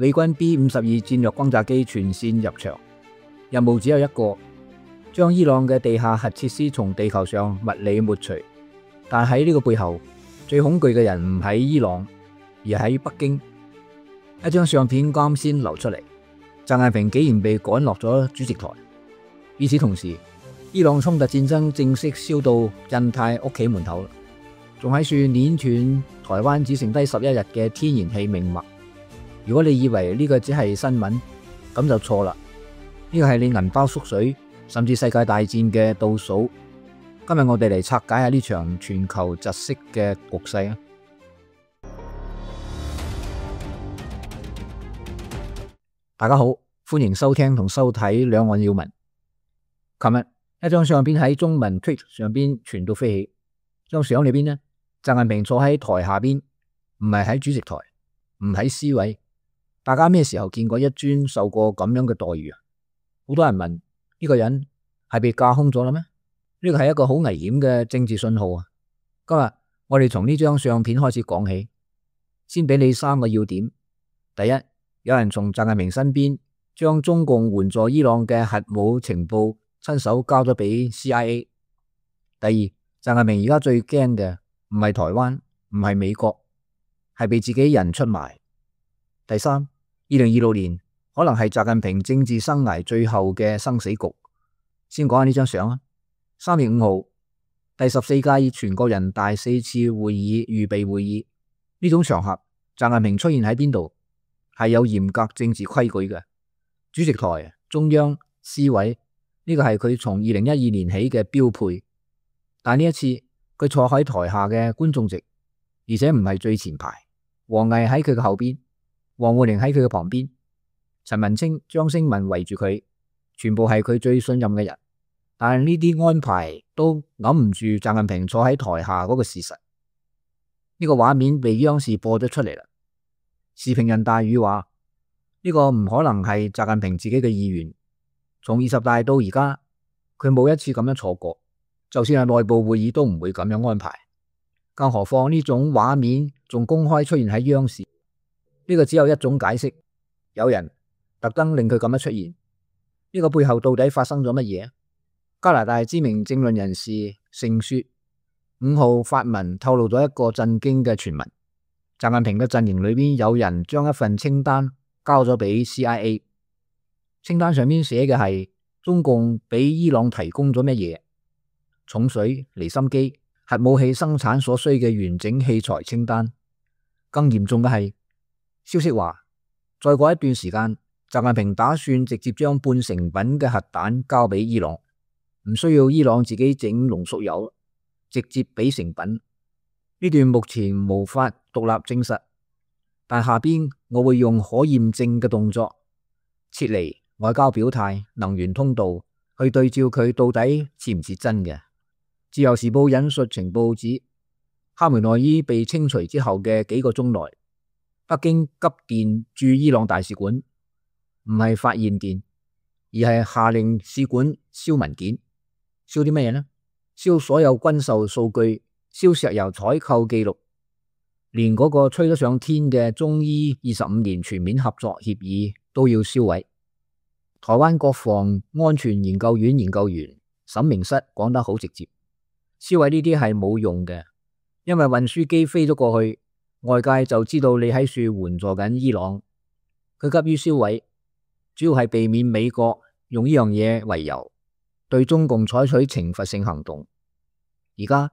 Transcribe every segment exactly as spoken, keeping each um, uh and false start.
美軍 B 五十二戰略轟炸機全線入場，任務只有一個，將伊朗嘅地下核設施從地球上物理抹除。但喺呢個背後，最恐懼嘅人唔喺伊朗，而喺北京。一張相片啱先流出嚟，習近平竟然被趕落咗主席台。與此同時，伊朗衝突戰爭正式燒到印太屋企門口，仲喺處碾斷台灣只剩低十一日嘅天然氣命脈。如果你以為呢個只係新聞，咁就錯啦。呢個係你銀包縮水，甚至世界大戰嘅倒數。今日我哋嚟拆解下呢場全球窒息嘅局勢啊！大家好，歡迎收聽同收睇兩岸要聞。琴日一張相片喺中文 Tweet 上邊傳到飛起，張相裏邊呢，習近平坐喺台下邊，唔係喺主席台，唔喺 C 位。大家咩時候見過一尊受過咁樣嘅待遇啊？好多人問呢個人係被架空咗啦咩？呢個係一個好危險嘅政治信號啊！今日我哋從呢張相片開始講起，先俾你三個要點。第一，有人從習近平身邊將中共援助伊朗嘅核武情報親手交咗俾 C I A。第二，習近平而家最驚嘅唔係台灣，唔係美國，係被自己人出賣。第三，二零二六年可能係習近平政治生涯最後嘅生死局。先講下呢張相啊。三月五號，第十四屆全國人大四次會議預備會議，呢種場合，習近平出現喺邊度？係有嚴格政治規矩嘅。主席台、中央、C 位，呢個係佢從二零一二年起嘅標配。但呢一次，佢坐喺台下嘅觀眾席，而且唔係最前排。王毅喺佢嘅後邊，王滬寧喺佢嘅旁邊，陳文清、張聲文圍住佢，全部係佢最信任嘅人。但係呢啲安排都揞唔住習近平坐喺台下嗰個事實。呢個畫面被央視播咗出嚟啦。時評人大宇話：呢個唔可能係習近平自己嘅意願。從二十大到而家，佢冇一次咁樣坐過。就算係內部會議都唔會咁樣安排。更何況呢種畫面仲公開出現喺央視。呢個只有一種解釋：有人特登令佢咁樣出現。呢個背後到底發生咗乜嘢？加拿大知名政論人士盛雪五號發文透露咗一個震驚嘅傳聞：習近平嘅陣營裏邊有人將一份清單交咗俾 C I A， 清單上面寫嘅係中共俾伊朗提供咗乜嘢？重水、離心機、核武器生產所需嘅完整器材清單。更嚴重嘅係，消息話再過一段時間，習近平打算直接將半成品嘅核彈交俾伊朗。唔需要伊朗自己整濃縮鈾，直接俾成品。呢段目前無法獨立證實，但下邊我會用可驗證嘅動作撤離外交表態、能源通道去對照佢到底似唔似真嘅。自由時報引述情報指，哈梅內伊被清除之後嘅幾個鐘內，北京急電駐伊朗大使館，唔係發唁電，而係下令使館燒文件。燒啲乜嘢呢？燒所有軍售數據，燒石油採購記錄，連嗰個吹得上天嘅中伊二十五年全面合作協議都要燒毀。台灣國防安全研究院研究員沈明室講得好直接，燒毀呢啲係冇用嘅，因為運輸機飛咗過去，外界就知道你喺處援助緊伊朗。佢急於燒毀，主要係避免美國用呢樣嘢為由，對中共採取懲罰性行動。而家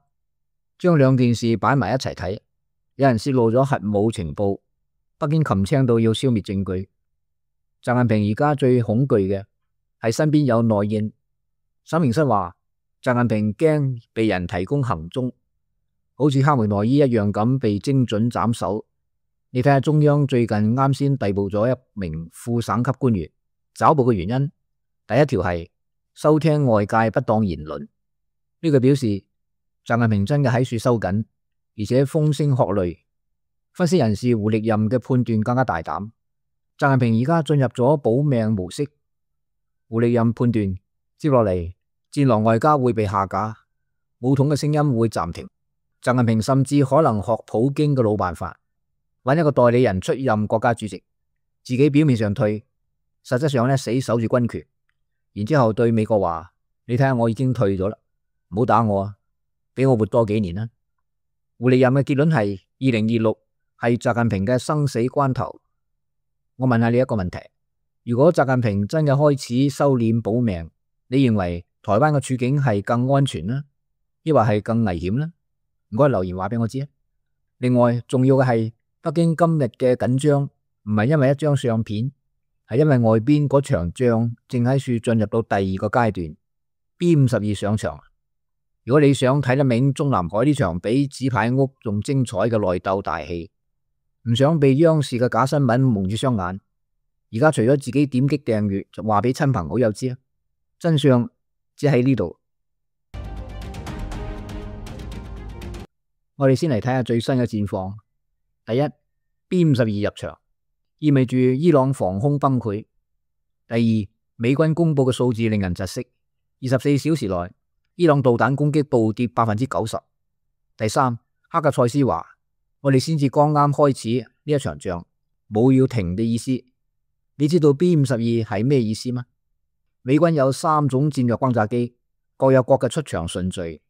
將兩件事擺埋一齊睇，有人泄露咗核武情報，北京擒青到要消滅證據。習近平而家最恐懼嘅係身邊有內應。沈明室話，習近平驚被人提供行蹤，好似哈梅內伊一樣咁被精準斬首。你睇下中央最近啱先逮捕咗一名副省級官員，抓捕嘅原因第一條係收聽外界不當言論，呢個表示習近平真嘅喺處收緊，而且風聲鶴唳。分析人士胡力任嘅判斷更加大膽，習近平而家進入咗保命模式。胡力任判斷，接落嚟戰狼外交會被下架，武統嘅聲音會暫停。習近平甚至可能學普京嘅老辦法，揾一個代理人出任國家主席，自己表面上退，實質上咧死守住軍權，然之後對美國話：你睇下我已經退咗啦，唔好打我啊，俾我活多幾年啦。胡利任嘅結論係二零二六係習近平嘅生死關頭。我問下你一個問題：如果習近平真嘅開始收斂保命，你認為台灣嘅處境係更安全呢，抑或係更危險呢？唔該留言話俾我知啊！另外重要嘅係北京今日嘅緊張唔係因為一張相片，係因為外邊嗰場仗正喺處進入到第二個階段。B 五十二上場。如果你想睇得明中南海呢場比紙牌屋仲精彩嘅內鬥大戲，唔想被央視嘅假新聞蒙住雙眼，而家除咗自己點擊訂閱，就話俾親朋好友知啊！真相只喺呢度。我哋先嚟睇下最新嘅戰況。第一 ，B 五十二入場，意味住伊朗防空崩潰。第二，美軍公布嘅數字令人窒息，二十四小時內，伊朗導彈攻擊暴跌百分之九十。第三，哈格塞斯話：我哋先至剛啱開始呢一場仗，冇要停嘅意思。你知道 B 五十二係咩意思嗎？美軍有三種戰略轟炸機，各有各嘅出場順序。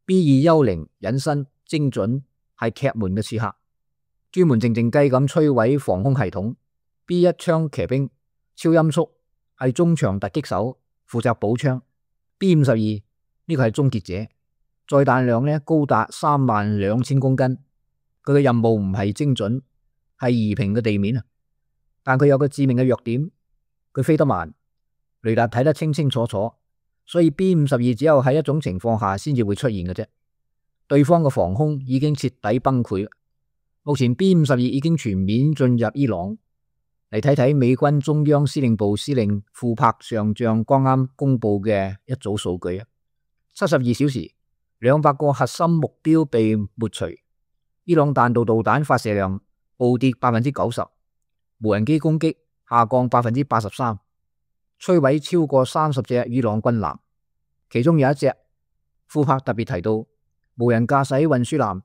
B 二幽靈隱身精準，係劇門嘅刺客，專門靜靜雞咁摧毀防空系統。B 一槍騎兵超音速，係中場突擊手，負責補槍。B 五十二呢個係終結者，載彈量呢高達三萬兩千公斤。佢嘅任務唔係精準，係夷平嘅地面啊！但佢有個致命嘅弱點，佢飛得慢，雷達睇得清清楚楚，所以 B 五十二只有喺一種情況下先至會出現嘅啫。對方嘅防空已經徹底崩潰，目前 B 五十二已經全面進入伊朗。嚟睇睇美軍中央司令部司令庫柏上將剛啱公布嘅一組數據啊，七十二小時兩百個核心目標被抹除，伊朗彈道導彈發射量暴跌百分之九十，無人機攻擊下降百分之八十三，摧毀超過三十隻伊朗軍艦，其中有一隻庫柏特別提到，無人駕駛運輸艦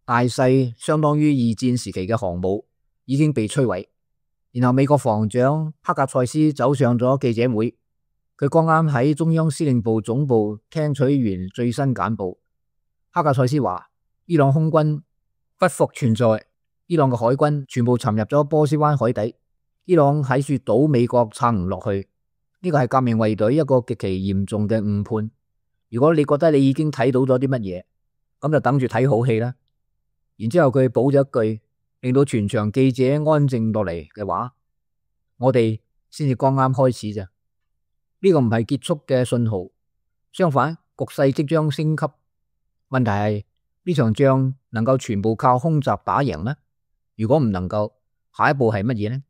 大細相當於二戰時期嘅航母已經被摧毀。然後美國防長克格塞斯走上咗記者會，佢剛啱喺中央司令部總部聽取完最新簡報。克格塞斯話：伊朗空軍不復存在，伊朗嘅海軍全部沉入咗波斯灣海底，伊朗喺處賭美國撐唔落去。呢個係革命衛隊一個極其嚴重嘅誤判。如果你覺得你已經睇到咗啲乜嘢，咁就等住睇好戲啦。然之後佢補咗一句，令到全場記者安靜落嚟嘅話：我哋先至剛啱開始咋，呢個唔係結束嘅信號，相反局勢即將升級。問題係呢場仗能夠全部靠空襲打贏咩？如果唔能夠，下一步係乜嘢呢？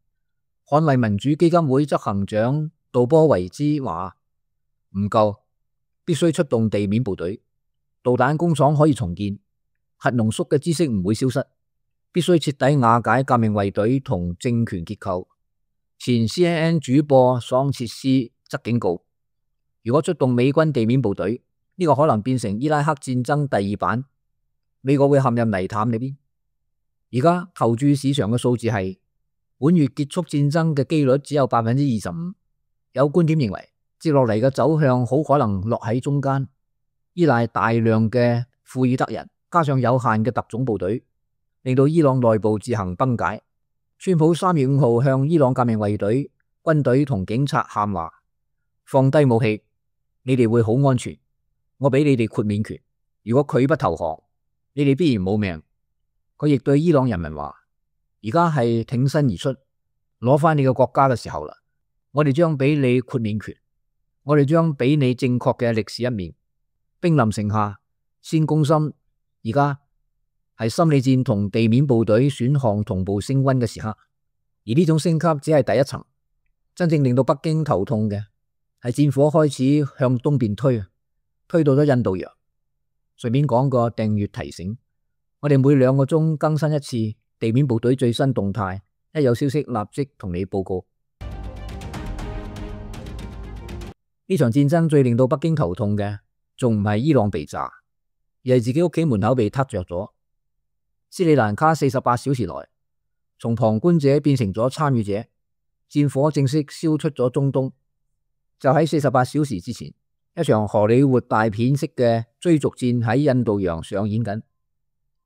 捍衛民主基金會執行長杜波維茲話：唔夠，必須出動地面部隊，導彈工廠可以重建，核濃縮嘅知識唔會消失。必須徹底瓦解革命衛隊同政權結構。前 C N N 主播桑切斯則警告，如果出動美軍地面部隊，呢個可能變成伊拉克戰爭第二版，美國會陷入泥潭裏邊。而家投注市場嘅數字係本月結束戰爭嘅幾率只有百分之二十五。有觀點認為，接落嚟嘅走向好可能落喺中間，依賴大量嘅庫爾德人加上有限嘅特種部隊，令到伊朗內部自行崩解。川普三月五號向伊朗革命衛隊、軍隊同警察喊話：放低武器，你哋會好安全。我俾你哋豁免權，如果拒不投降，你哋必然冇命。佢亦對伊朗人民話：而家係挺身而出，攞翻你個國家嘅時候啦。我哋將俾你豁免權，我哋將俾你正確嘅歷史一面。兵臨城下，先攻心，而家係心理戰同地面部隊選項同步升溫嘅時刻，而呢種升級只係第一層，真正令到北京頭痛嘅係戰火開始向東邊推，推到咗印度洋。順便講個訂閱提醒，我哋每兩個鐘更新一次地面部隊最新動態，一有消息立即同你報告。呢場戰爭最令到北京頭痛嘅，仲唔係伊朗被炸，而係自己屋企門口被撻着咗。斯里蘭卡四十八小時內從旁觀者變成咗參與者，戰火正式燒出咗中東。就喺四十八小時之前，一場荷里活大片式嘅追逐戰喺印度洋上演緊。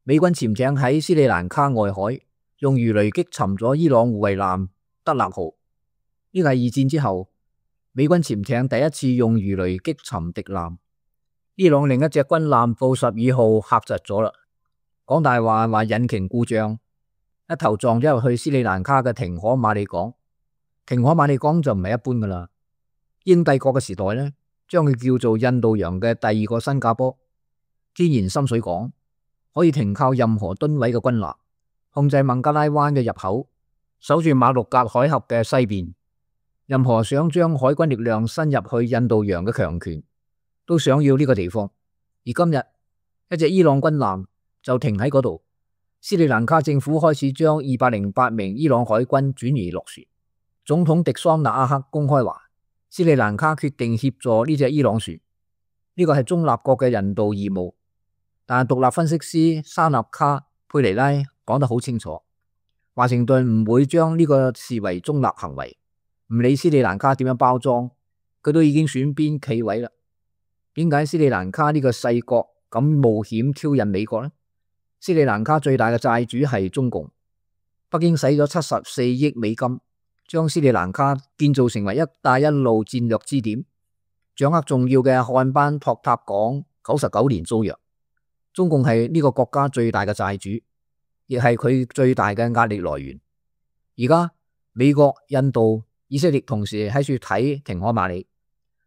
美軍潛艇喺斯里蘭卡外海用魚雷擊沉咗伊朗護衛艦德勒號。呢個係二戰之後美軍潛艇第一次用魚雷擊沉敵艦。伊朗另一隻軍艦布什爾號嚇窒咗啦，講大話話引擎故障，一頭撞咗入去斯里蘭卡嘅廷可馬里港。廷可馬里港就唔係一般噶啦，英帝國嘅時代呢，將佢叫做印度洋嘅第二個新加坡。天然深水港，可以停靠任何噸位嘅軍艦，控制孟加拉灣嘅入口，守住馬六甲海峽嘅西邊。任何想將海軍力量伸入去印度洋嘅強權都想要呢個地方。而今日一隻伊朗軍艦就停喺嗰度。斯里蘭卡政府開始將二百零八名伊朗海軍轉移落船。總統迪桑納阿克公開話，斯里蘭卡決定協助呢隻伊朗船，呢個係中立國嘅人道義務。但係獨立分析師沙納卡佩尼拉講得好清楚，華盛頓唔會將呢個視為中立行為。唔理斯里蘭卡點樣包裝，佢都已經選邊企位啦。點解斯里蘭卡呢個細國咁冒險挑釁美國呢？斯里蘭卡最大嘅債主係中共，北京使咗七十四億美金，將斯里蘭卡建造成為一帶一路戰略支點，掌握重要嘅漢班托塔港九十九年租約。中共係呢個國家最大嘅債主，亦係佢最大嘅壓力來源。而家美國、印度、以色列同時喺處睇廷可馬里，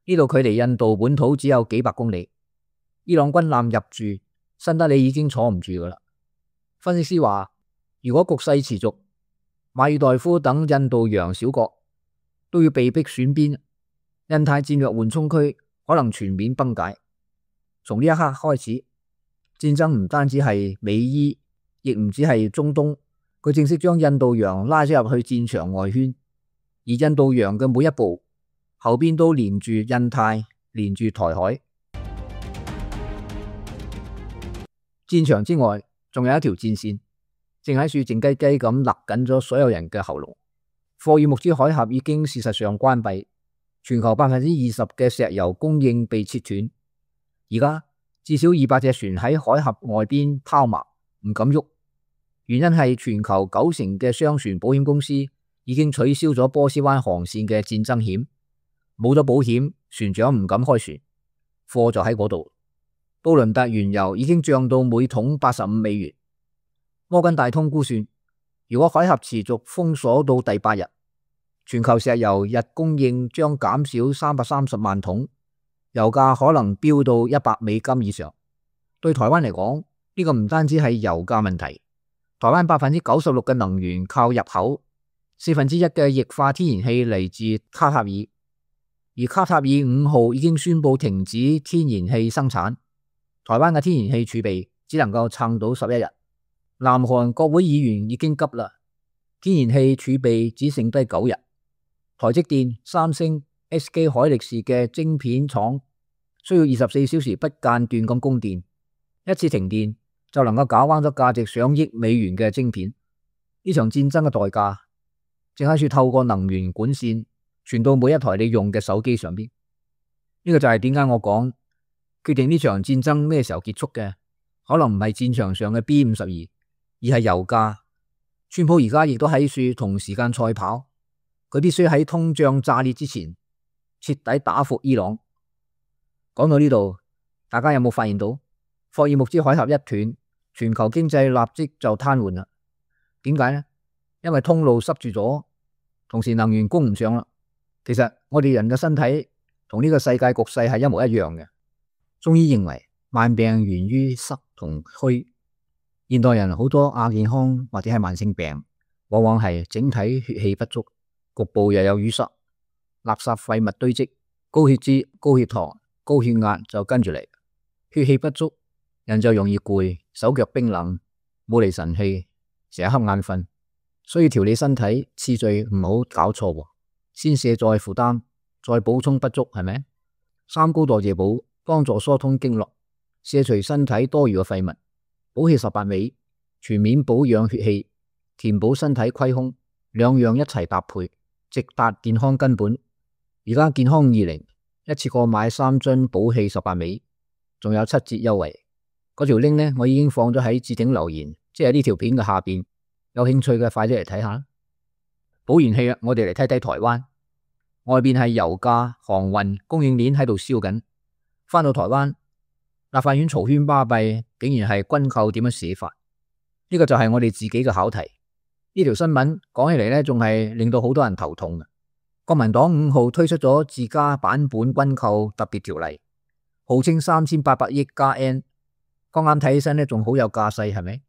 呢度距離印度本土只有幾百公里。伊朗軍艦入駐，新德里已經坐唔住噶啦。分析師話，如果局勢持續，馬爾代夫等印度洋小國都要被迫選邊，印太戰略緩衝區可能全面崩解。從呢一刻開始，戰爭唔單止係美伊，亦唔止係中東，佢正式將印度洋拉咗入去戰場外圈。而印度洋嘅每一步後邊都連住印太，連住台海。戰場之外仲有一條戰線，正喺處靜雞雞咁勒緊咗所有人嘅喉嚨。霍爾木茲海峽已經事實上關閉，全球百分之二十嘅石油供應被切斷。而家至少二百隻船喺海峽外邊拋錨，唔敢喐。原因係全球九成嘅商船保險公司已經取消咗波斯灣航線嘅戰爭險，冇咗保險，船長唔敢開船，貨就喺嗰度。布倫特原油已經漲到每桶八十五美元。摩根大通估算，如果海峽持續封鎖到第八日，全球石油日供應將減少三百三十萬桶，油價可能飆到一百美金以上。對台灣嚟講，呢個唔單止係油價問題，台灣百分之九十六嘅能源靠入口。四分之一嘅液化天然氣嚟自卡塔爾，而卡塔爾五號已經宣布停止天然氣生產，台灣嘅天然氣儲備只能夠撐到十一日。南韓國會議員已經急啦，天然氣儲備只剩低九日。台積電、三星、S K 海力士嘅晶片廠需要二十四小時不間斷咁供電，一次停電就能夠搞彎咗價值上億美元嘅晶片。呢場戰爭嘅代價正喺處透過能源管線傳到每一台你用嘅手機上邊。呢個就係點解我講決定呢場戰爭咩時候結束嘅，可能唔係戰場上嘅 B 五十二，而係油價。川普而家亦都喺處同時間賽跑，佢必須喺通脹炸裂之前徹底打服伊朗。講到呢度，大家有冇發現到霍爾木茲海峽一斷，全球經濟立即就癱瘓啦？點解呢？因為通路塞住咗，同時能源供唔上啦。其實我哋人嘅身體同呢個世界局勢係一模一樣嘅。中醫認為萬病源於濕同虛，現代人好多亞健康或者係慢性病，往往係整體血氣不足，局部又有淤塞，垃圾廢物堆積，高血脂、高血糖、高血壓就跟住嚟。血氣不足，人就容易攰，手腳冰冷，冇嚟神氣，成日瞌眼瞓。所以調理身體次序唔好搞錯，先瀉再負擔，再補充不足，係咪？三高代謝補幫助疏通經絡，卸除身體多餘嘅廢物，補氣十八味，全面保養血氣，填補身體虧空，兩樣一齊搭配，直達健康根本。而家健康二零一次過買三樽補氣十八味，仲有七折優惠。嗰條 link 呢，我已經放咗喺置頂留言，即係呢條片嘅下邊。有興趣嘅快啲嚟睇下。補完氣啦，我哋嚟睇睇台灣。外邊係油價、航運、供應鏈喺度燒緊。翻到台灣，立法院嘈喧巴閉，竟然係軍購點樣寫法？呢個就係我哋自己嘅考題。呢條新聞講起嚟呢，仲係令到好多人頭痛嘅。國民黨五號推出咗自家版本軍購特別條例，號稱三千八百億加 N， 剛啱睇起身呢，仲好有架勢，係咪？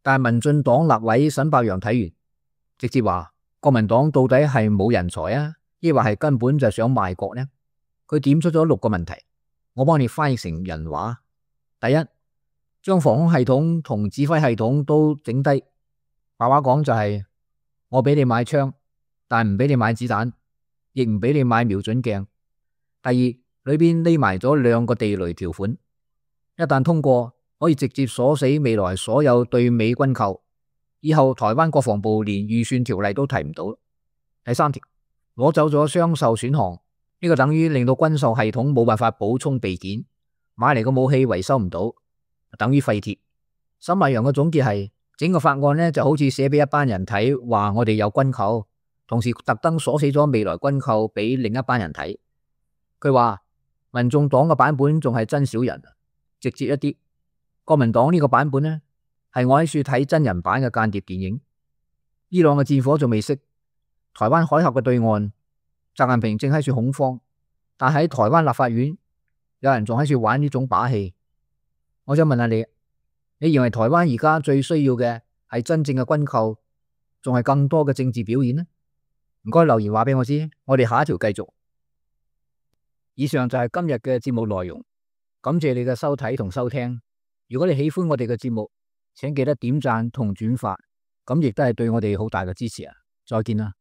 但係民進黨立委沈伯洋睇完，直接話國民黨到底係冇人才啊，抑或係根本就想賣國呢？佢點出咗六個問題，我幫你翻譯成人話。第一，將防空系統同指揮系統都整低。白話講就係、是、我俾你買槍，但唔俾你買子彈，亦唔俾你買瞄準鏡。第二，裏邊匿埋咗兩個地雷條款，一旦通過，可以直接鎖死未來所有對美軍購，以後台灣國防部連預算條例都提唔到。第三條，攞走咗雙售選項，呢、這個等於令到軍售系統冇辦法補充備件，買嚟個武器維修唔到，等於廢鐵。沈伯洋嘅總結係，整個法案呢就好似寫俾一班人睇，話我哋有軍購，同時特登鎖死咗未來軍購俾另一班人睇。佢話民眾黨嘅版本仲係真小人，直接一啲。國民黨呢個版本呢，係我喺處睇真人版嘅間諜電影。伊朗嘅戰火仲未熄，台灣海峽嘅對岸，習近平正喺處恐慌，但喺台灣立法院有人仲喺處玩呢種把戲。我想問下你，你認為台灣而家最需要嘅係真正嘅軍購，仲係更多嘅政治表演呢？唔該留言話俾我知，我哋下一條繼續。以上就係今日嘅節目內容，感謝你嘅收睇同收聽。如果你喜歡我哋嘅節目，請記得點讚同轉發，咁亦都係對我哋好大嘅支持啊！再見啦。